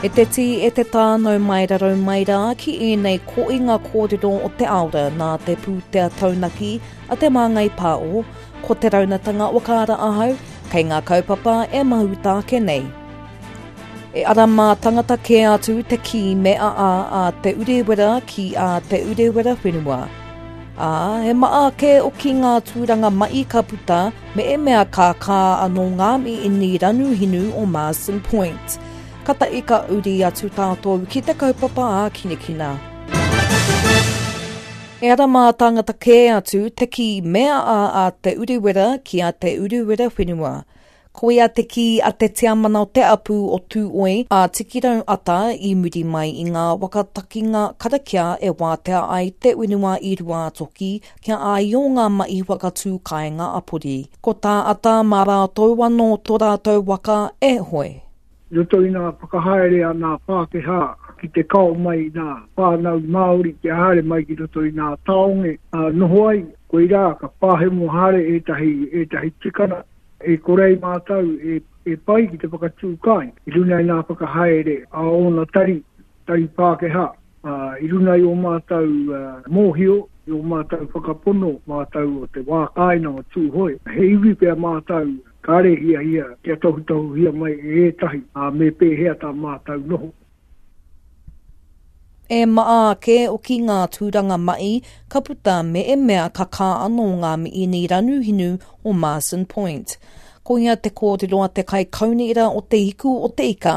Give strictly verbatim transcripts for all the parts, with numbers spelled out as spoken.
E te tī, e te tā, nau mai rarau mai rā ki ēnei koinga kōrero o te aora nā te pūtea taunaki a Te Māngai Pāo, ko te raunatanga whakaara ahau, kei ngā kaupapa e mahuta ake nei. E ara mā tangata kē atu te kī me a a a Te Urewera ki a Te Urewera whenua. Ā, he maa kē oki ngā tūranga mai ka puta me e mea ka kā anō ngā miini ranu hinu o Marsden Point. Ka tahi ka uri atu tātou ki te kaupapa a Kinekina. E ara mā tangata kē atu te kī mea a a Te Urewera ki a Te Urewera whenua. Koia te kī a te tiamana o te apu o Tūoi a Tikirau Ata i muri mai i ngā wakatakinga karakia e wātea ai te whenua i Ruātoki kia āio ngā mahi whakatū kāinga apori. Ko tā Ata mā rātou anō tō rātou waka e hoe. I roto i ngā whakahaere a ngā Pākehā ki te kao mai i ngā whānau Māori kia haere mai ki roto i ngā tāone a noho ai, koirā ka pāhemo haere ētahi, ētahi tikanga e kore ai mātou e, e pai ki te whakatū kāinga. I runga i ngā whakahaere a ōna tari, tari Pākehā, i runga i ō mātou mōhio, i ō mātou whakapono, mātou o te wā kāinga o Tūhoe, he iwi pea mātou kāre hiahia kia tohutohuhia mai e ētahi, ā, me pēhea tā mātou noho. E maa ake oki ngā tūranga mai ka puta me e mea ka kā anō ngā miini ranu hinu o Marsden Point. Koia te kōrero a te kai kaunihera o te hiku o te ika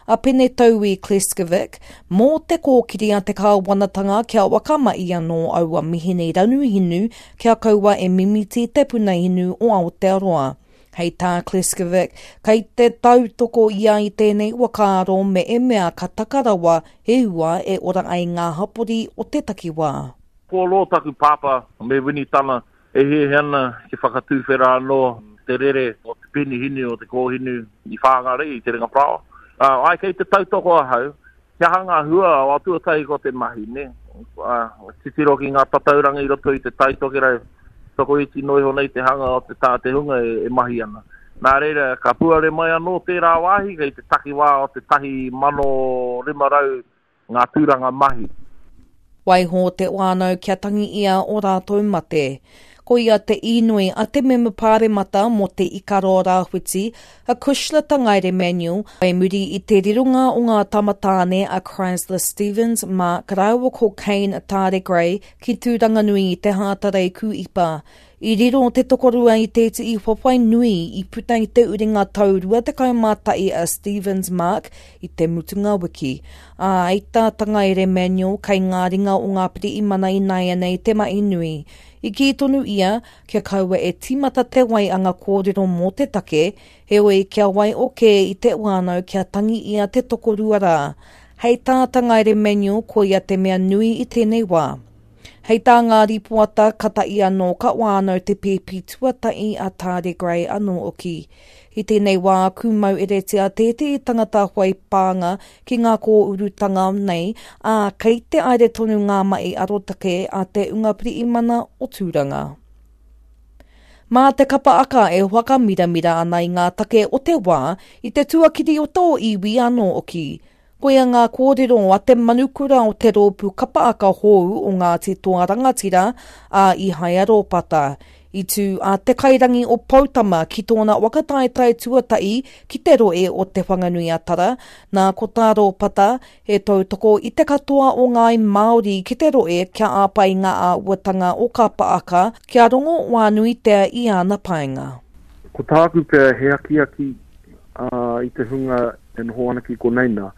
a Pene Taui Kleskovic mō te kōkiri a te kāwanatanga kia wakamai anō aua mihini ranu hinu kia kaua e mimiti te puna hinu o Aotearoa. Hei tā Kleskovic, kei te tautoko ia i tēnei whakaaro me e mea ka takarawa he hua e ora ai ngā hapori o te takiwā. Ko rō taku pāpā me Winitana e hiahia ana ki whakatūwhera anō te rere o te penihinu o te kōhinu i Whāngarei i Te Ringa Parāoa. Uh, ai kei te tautoko ahau, kia hanga hua o atuatahi ko te mahi, ne? Uh, titiro ki ngā tatauranga i roto i te taitokerau, tokoiti noa iho nei te hanga o te tā te hunga e, e mahi ana. Nā reira, ka puare mai anō tērā wāhi kei te takiwā o te tahi mano rima rau ngā tūranga mahi. Waiho te whānau kia tangi ia o rātou mate. Ko ia te inoi a te mema pāremata mō te Ikaroa Rāwhiti, a Cushla Tangaere Manuel, whai muri i te rironga o ngā tamatāne a Chrysler Stevens, Mark rāua ko Kane Tāre Gray ki Tūranganui i te Hātarei Kūipa. I riro te tokorua i tētehi whawhai nui i puta i te uringa tau rua tekau mā tahi a Stevens Mark i te mutunga wiki. Ā, i tā Tangaere Manuel kei ngā ringa o ngā pirihimana ināianei te mahi nui. I kī tonu ia, kia kaua e tīmata te waianga kōrero mō te take, heoi kia wai o kē i te whānau kia tangi ia te tokorua rā. Hei tā Tangaere Manuel ko ia te mea nui i tēnei wā. Hei tā ngā ripoata ka tahi anō ka whānau te pēpi tuatahi a Tāre Gray anō oki. I tēnei wā kūmau eretia tētehi tangata whai pānga ki ngā kōurutanga nei, ā, kei te aere tonu ngā mahi arotake a te unga pirihimana o Tūranga. Mā te kapa aka e whakamiramira ana i ngā take o te wā i te tuakiri o tō iwi anō oki. Koia ngā kōrero a te manukura o te rōpū kapa aka hou o Ngāti Toa Rangatira a Ihaia Rōpata. I tū a Te Kairangi o Poutama ki tōna whakataetae tuatahi ki te rohe o Te Whanganui-a-Tara, nā ko tā Rōpata he tautoko i te katoa o ngāi Māori ki te rohe kia āpai ngā āhuatanga o kapa aka kia rongo wānuitea i āna painga. Ko tāku pea he akiaki uh, i te hunga e noho ana ki konei nā,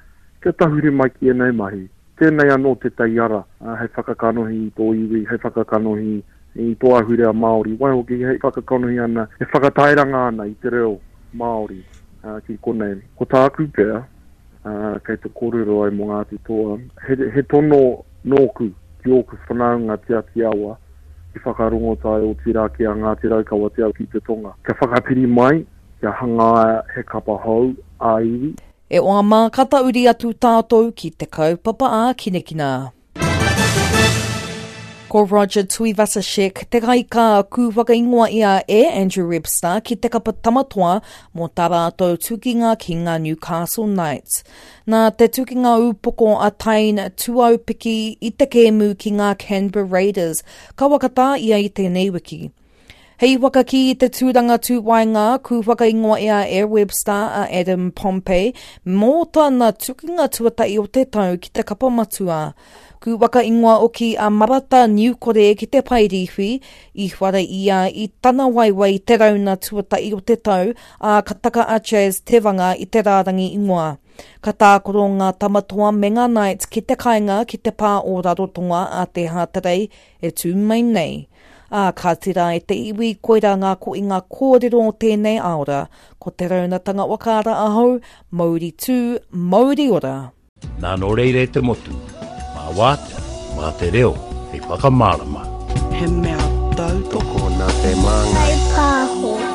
kia tahuri mai ki ēnei mahi. Tēnei anō tētahi ara uh, hei whakakanohi i tō iwi, hei whakakanohi i tō ahurea Māori. Waihoki hei whakakanohi ana, e whakatairanga ana i te reo Māori uh, ki konei. Ko tāku pea, uh, kei te kōrero ai mō Ngāti Toa, he, he tono nōku ki ōku whanaunga Te Ati Awa, ki whakarongotai o tirā ki a Ngāti Raukawa Te Au ki te Tonga. Kia whakapiri mai, kia hangaia he kapa hou a iwi. E oa mā ka tauri atu tātou ki te kaupapa a Kinekina. Ko Roger Tuivasa-Sheck te kaika ku whakaingoa ia e Andrew Webster ki te kapa tamatoa mō tā rātou tukinga ki ngā Newcastle Knights. Nā te tukinga upoko a Taine Tuaupiki i te kēmu ki ngā Canberra Raiders, ka wakatā ia i tēnei wiki. Hei whakakī i te tūranga tūwaenga, ku whakaingoa ia e Webster a Adam Pompey mō tana tukinga tuatahi o te tau ki te kapa matua. Ku whakaingoa oki a Marata Niukore ki te paerīwhi, i whara ia i tana waiwai te rauna tuatahi o te tau, a ka taka a Chaz Tevanga i te rārangi ingoa. Ka tākaro ngā tamatoa me ngā Knights ki te kainga ki te pā o Rarotonga a te Hātarei e tū mai nei. Ā, ka tira e te iwi, koirā ngā ko i ngā kōrero o tēnei aora. Ko te raunatanga wakaara ahau, mauri tū, mauri ora. Nā nō reira e te motu, mā wātea, mā te reo, hei whakamārama. He mea tautoko nā te māngai. Kai pāho.